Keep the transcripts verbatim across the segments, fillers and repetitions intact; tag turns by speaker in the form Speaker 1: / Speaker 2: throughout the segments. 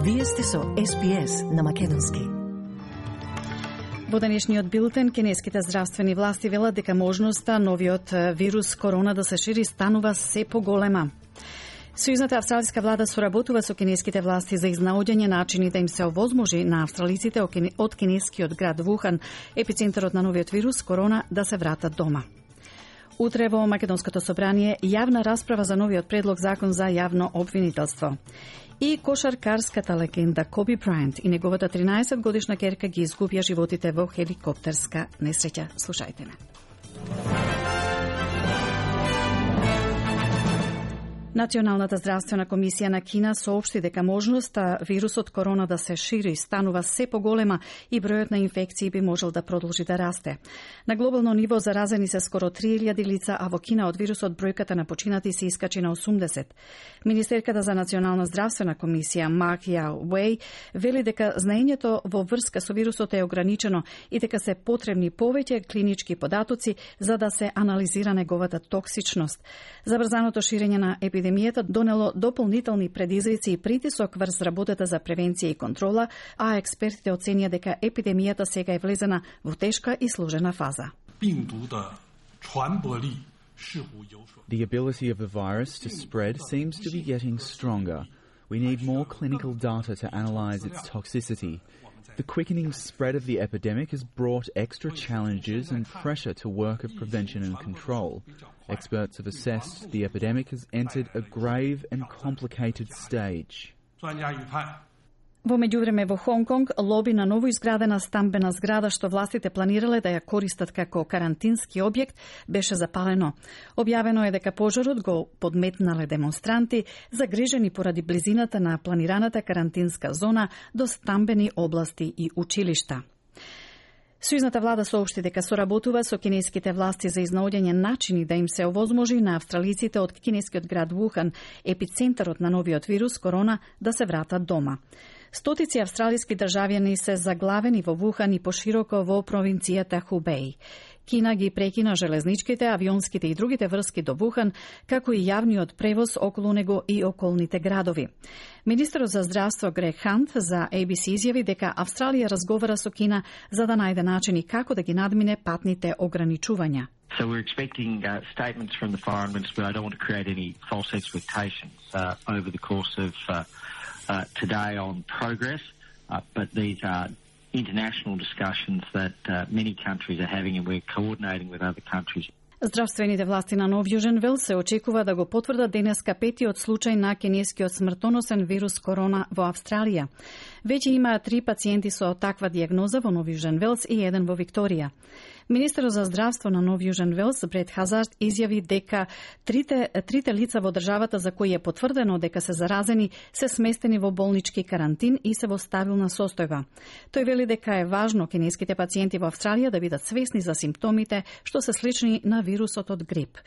Speaker 1: Вие сте со Ес Би Ес на македонски.
Speaker 2: Во денешниот билтен, кинеските здравствени власти велат дека можноста новиот вирус корона да се шири станува се поголема. Сојузната австралиска влада соработува со кинеските власти за изнаоѓање начини да им се овозможи на австралиците од кинескиот град Вухан, епицентарот на новиот вирус корона, да се вратат дома. Утре во Македонското собрание јавна расправа за новиот предлог закон за јавно обвинителство. И кошаркарската легенда Коби Брајант и неговата тринаесет годишна ќерка ги изгубија животите во хеликоптерска несреќа. Слушајте ме. Националната здравствена комисија на Кина соопшти дека можноста вирусот корона да се шири станува се поголема и бројот на инфекции би можел да продолжи да расте. На глобално ниво заразени се скоро три илјади лица, а во Кина од вирусот бројката на починати се искачи на осумдесет. Министерката за национална здравствена комисија Марк Яо Уей вели дека знаењето во врска со вирусот е ограничено и дека се потребни повеќе клинички податоци за да се анализира неговата токсичност. Забрзаното ширење на епидемијата Епидемијата донело дополнителни предизвици и притисок врз работата за превенција и контрола, а експертите оценија дека епидемијата сега е влезена во тешка и сложена фаза.
Speaker 3: The ability of the virus to spread seems to be getting stronger. We need more clinical data to analyze its toxicity. The quickening spread of the epidemic has brought extra challenges and pressure to work of prevention and control. Experts have assessed the epidemic has entered a grave and complicated stage.
Speaker 2: Во меѓувреме во Хонг Конг, лоби на ново изградена стамбена зграда што властите планирале да ја користат како карантински објект беше запалено. Објавено е дека пожарот го подметнале демонстранти загрижени поради близината на планираната карантинска зона до стамбени области и училишта. Сојузната влада соопшти дека соработува со кинеските власти за изнаоѓање начини да им се овозможи на австралиците од кинескиот град Вухан, епицентарот на новиот вирус корона, да се вратат дома. Стотици австралиски државјани се заглавени во Вухан и пошироко во провинцијата Хубеј. Кина ги прекина железничките, авионските и другите врски до Вухан, како и јавниот превоз околу него и околните градови. Министерот за здравство Грег Хант за Ей Би Си изјави дека Австралија разговара со Кина за да најде начини како да ги надмине патните ограничувања.
Speaker 4: So we're expecting uh, statements from the foreign minister, but I don't want to create any false expectations uh, over the course of uh, uh, today on progress, uh, but these are international discussions that uh, many countries are having, and we're coordinating with other countries.
Speaker 2: Здравствените власти на Нов Јужен Велс се очекува да го потврдат денеска петиот случај на кинескиот смртоносен вирус корона во Австралија. Веќе има три пациенти со таква диагноза во Нов Јужен Велс и еден во Викторија. Министерот за здравство на Нов Јужен Велс, Бред Хазард, изјави дека трите, трите лица во државата за кои е потврдено дека се заразени се сместени во болнички карантин и се во стабилна состојба. Тој вели дека е важно кинеските пациенти во Австралија да бидат свесни за симптомите што се слични на вирусот од грип.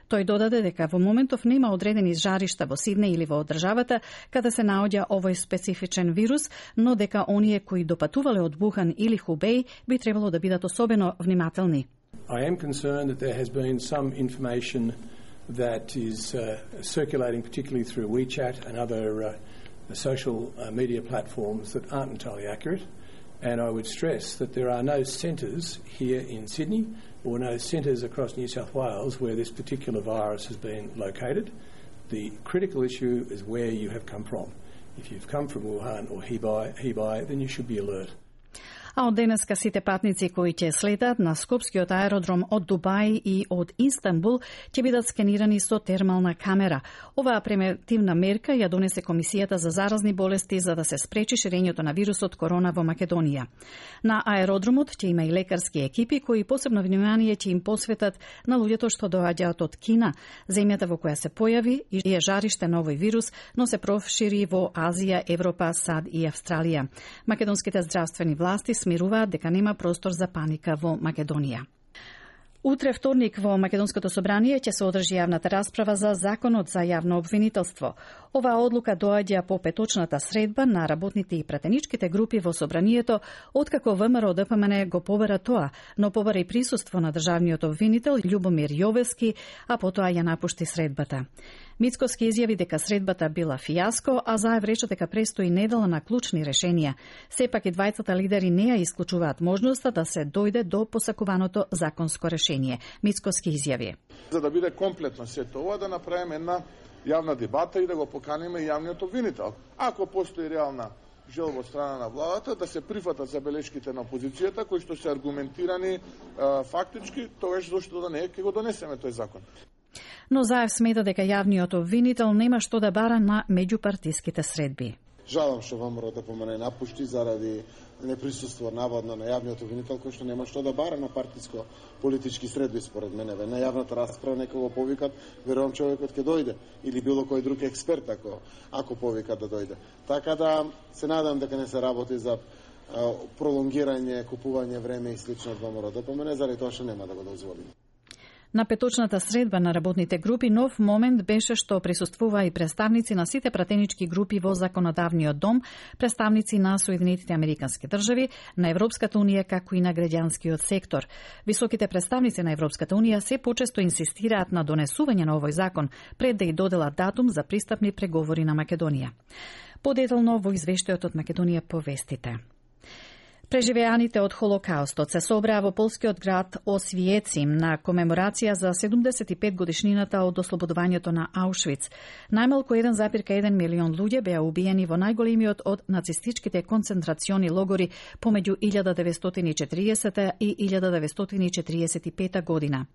Speaker 2: Тој додаде дека во моментов нема одредени жаришта во Сиднеј или во државата каде се наоѓа овој специфичен вирус, но дека оние кои допатувале од Вухан или Хубеј би требало да бидат особено внимателни.
Speaker 5: I am concerned that there has been some information that is uh, circulating, particularly through WeChat and other uh, social uh, media platforms, that aren't entirely accurate. And I would stress that there are no centres here in Sydney or no centres across New South Wales where this particular virus has been located. The critical issue is where you have come from. If you've come from Wuhan or Hebei, Hebei, then you should be alert.
Speaker 2: А од денеска сите патници кои ќе слетат на Скопскиот аеродром од Дубај и од Истанбул ќе бидат скенирани со термална камера. Оваа превентивна мерка ја донесе Комисијата за заразни болести за да се спречи ширењето на вирусот корона во Македонија. На аеродромот ќе има и лекарски екипи кои посебно внимание ќе им посветат на луѓето што доаѓаат од Кина, земјата во која се појави и е жариште на овој вирус, но се прошири во Азија, Европа, САД и Австралија. Македонските здравствени власти смируваат дека нема простор за паника во Македонија. Утре вторник во Македонското собрание ќе се одржи јавната расправа за законот за јавно обвинителство. Оваа одлука доаѓа по петочната средба на работните и пратеничките групи во собранието, откако ВМРО Д П М Н го побара тоа, но побара и присуство на државниот обвинител Љубомир Јовески, а потоа ја напушти средбата. Мицкоски изјави дека средбата била фијаско, а Заев рече дека престои недела на клучни решенија. Сепак и двајцата лидери не ја исклучуваат можноста да се дојде до посакуваното законско решение. Мицкоски изјави:
Speaker 6: За да биде комплетно сето ова, да направиме една јавна дебата и да го поканиме јавниот обвинител. Ако постои реална желба од страна на владата да се прифатат забелешките на опозицијата кои што се аргументирани е, фактички, тогаш зошто да не ќе го донесеме тој закон.
Speaker 2: Но Заев смета дека јавниот обвинител нема што да бара на меѓупартиските средби.
Speaker 7: Жалам што ВМРО да помене напушти заради неприсуство наводно на јавниот обвинител кој што нема што да бара на партиско политички средби според мене. На јавната расправа нека го повикат, верувам човекот ќе дојде или било кој друг експерт ако ако повикат да дојде. Така да се надам дека не се работи за а, пролонгирање, купување време и слично од ВМРО да помене, заради тоа што нема да го дозволиме.
Speaker 2: На петочната средба на работните групи нов момент беше што присуствува и представници на сите пратенички групи во Законодавниот дом, представници на Соединетите Американски држави, на Европската унија, како и на граѓанскиот сектор. Високите представници на Европската унија се почесто инсистираат на донесување на овој закон пред да и доделат датум за пристапни преговори на Македонија. Подетално во извештајот од Македонија по вестите. Преживеаните од Холокаустот се собраа во полскиот град Освиецим на комеморација за седумдесет и пет годишнината од ослободувањето на Аушвиц. Најмалку еден зарез еден милион луѓе беа убиени во најголемиот од нацистичките концентрациони логори помеѓу илјада деветстотини и четиридесета и илјада деветстотини и четиридесет и пета година.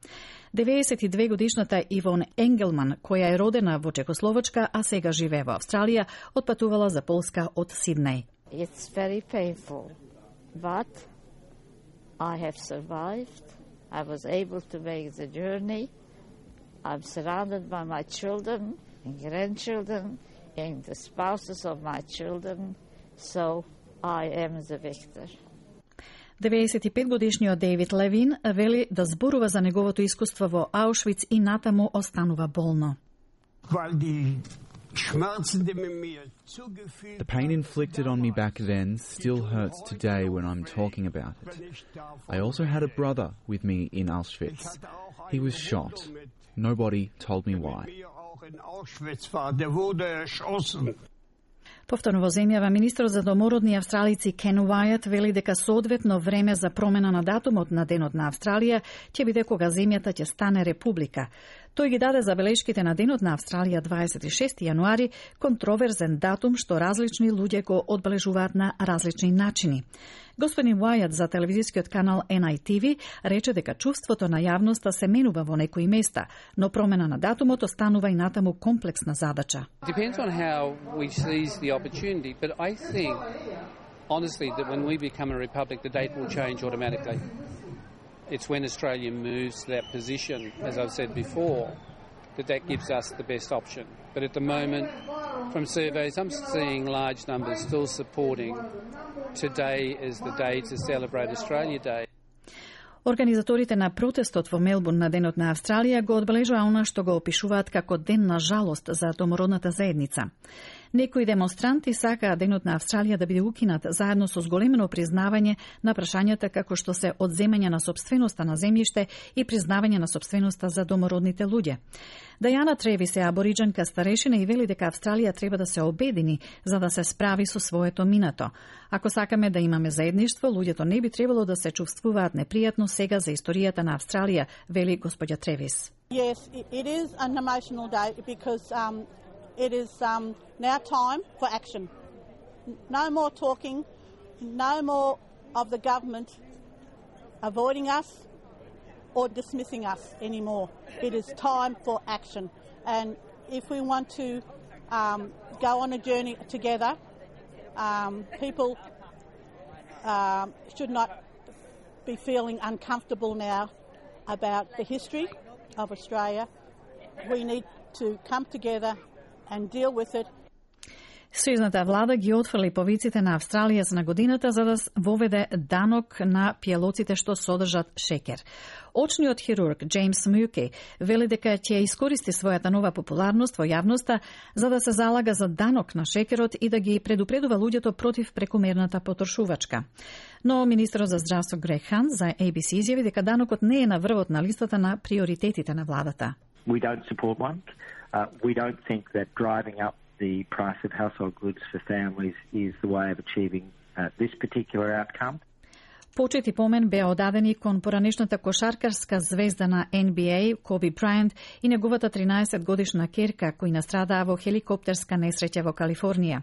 Speaker 2: деветдесет и две годишната Ивон Енгелман, која е родена во Чекословачка, а сега живее во Австралија, отпатувала за Полска од Сиднеј.
Speaker 8: It's very painful. But I have survived. I was able to make the journey. I'm surrounded by my children and grandchildren and the spouses of my children. So I am the victor.
Speaker 2: деветдесет и пет годишниот Дейвид Левин вели да зборува за неговото искуство во Аушвиц и натаму останува болно.
Speaker 3: The pain inflicted on me back then still hurts today when I'm talking about it. I also had a brother with me in Auschwitz. He was shot. Nobody told me why.
Speaker 2: Повторно во земјава, министрот за домородни австралици Кен Уајат вели дека соодветно време за промена на датумот на Денот на Австралија ќе биде кога земјата ќе стане република. Тој ги даде забелешките на Денот на Австралија дваесет и шести јануари, контроверзен датум што различни луѓе го одбележуваат на различни начини. Господин Уајат за телевизискиот канал Ен Ај Ти Ви рече дека чувството на јавноста се менува во некои места, но промена на датумот останува и натаму комплексна задача.
Speaker 9: Depends on how we seize the opportunity, but I think honestly that when we become a republic the date will change automatically. It's when Australia moves to that position, as I've said before, that that gives us the best option. But at the moment, from surveys, I'm seeing large numbers still supporting today is the day to celebrate Australia Day.
Speaker 2: Организаторите на протестот во Мелбурн на Денот на Австралија го одбележаа она што го опишуваат како ден на жалост за домородната заедница. Некои демонстранти сакаа Денот на Австралија да биде укинат заедно со зголемено признавање на прашањата како што се одземање на сопственоста на земјиште и признавање на сопственоста за домородните луѓе. Дајана Тревис е абориџанка старешина и вели дека Австралија треба да се обедини за да се справи со своето минато. Ако сакаме да имаме заедништво, луѓето не би требало да се чувствуваат непријатно сега за историјата на Австралија, вели господја Тревис.
Speaker 10: Yes, it is an emotional day because um, it is um, now time for action. No more talking, no more of the government avoiding us or dismissing us anymore. It is time for action. And if we want to um, go on a journey together, um, people um, should not be feeling uncomfortable now about the history of Australia. We need to come together and deal with it.
Speaker 2: Сојузната влада ги отфрли повиците на Австралија на годината за да воведе данок на пијалоците што содржат шекер. Очниот хирург Джеймс Мюке вели дека ќе искористи својата нова популарност во јавноста за да се залага за данок на шекерот и да ги предупредува луѓето против прекумерната потрошувачка. Но министерот за здравство Грег Хан за Ей Би Си изјави дека данокот не е на врвот на листата на приоритетите на владата.
Speaker 4: We don't support one. Uh, we don't think that driving up the price of household goods for families is the way of achieving uh, this particular outcome.
Speaker 2: Почет и помен беа одадени кон поранешната кошаркарска звезда на Н Б А Коби Брайант и неговата тринаесет годишна керка кои настрадаа во хеликоптерска несреќа во Калифорнија.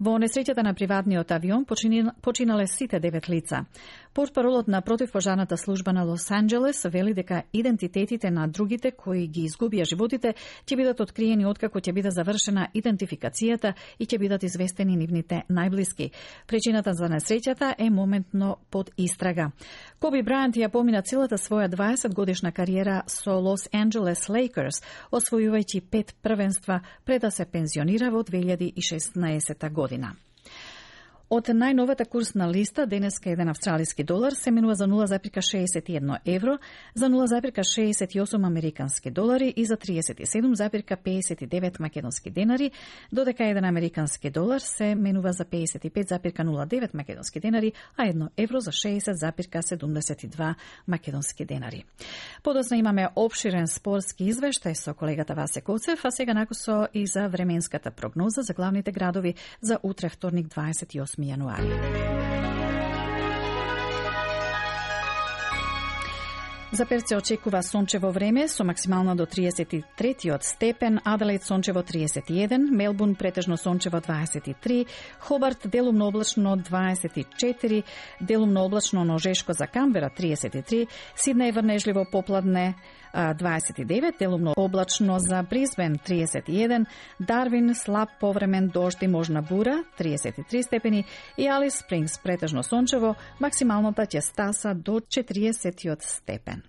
Speaker 2: Во несреќата на приватниот авион починале сите девет лица. Портпаролот на противпожарната служба на Лос Анџелес вели дека идентитетите на другите кои ги изгубија животите ќе бидат откриени откако ќе биде завршена идентификацијата и ќе бидат известени нивните најблиски. Причината за несреќата е моментно под истрага. Коби Брайант ја помина целата своја дваесет годишна кариера со Лос Анџелес Лейкерс, освојувајќи пет првенства пред да се пензионира во две илјади и шеснаесета година. Од најновата курсна листа, денеска еден австралиски долар се менува за нула запирка шеесет и едно евро, за нула запирка шеесет и осум американски долари и за триесет и седум запирка пеесет и девет македонски денари, додека еден американски долар се менува за пеесет и пет запирка нула девет македонски денари, а едно евро за шеесет запирка седумдесет и два македонски денари. Подоцна имаме опширен спортски извештај со колегата Васе Коцев, а сега накусо и за временската прогноза за главните градови за утре вторник дваесет и осми јануари. За Перт се очекува сончево време со максимално до триесет и третиот степен, Аделаид сончево триесет и еден, Мелбурн претежно сончево дваесет и три, Хобарт делумно облачно дваесет и четири, делумно облачно, но жешко за Камбера триесет и три, Сиднеј врнежливо попладне дваесет и девет, делумно облачно за Брисбен триесет и еден, Дарвин слаб повремен дожд и можна бура триесет и три степени и Алис Спрингс претежно сончево, максималната ќе стаса до четириесетиот степен.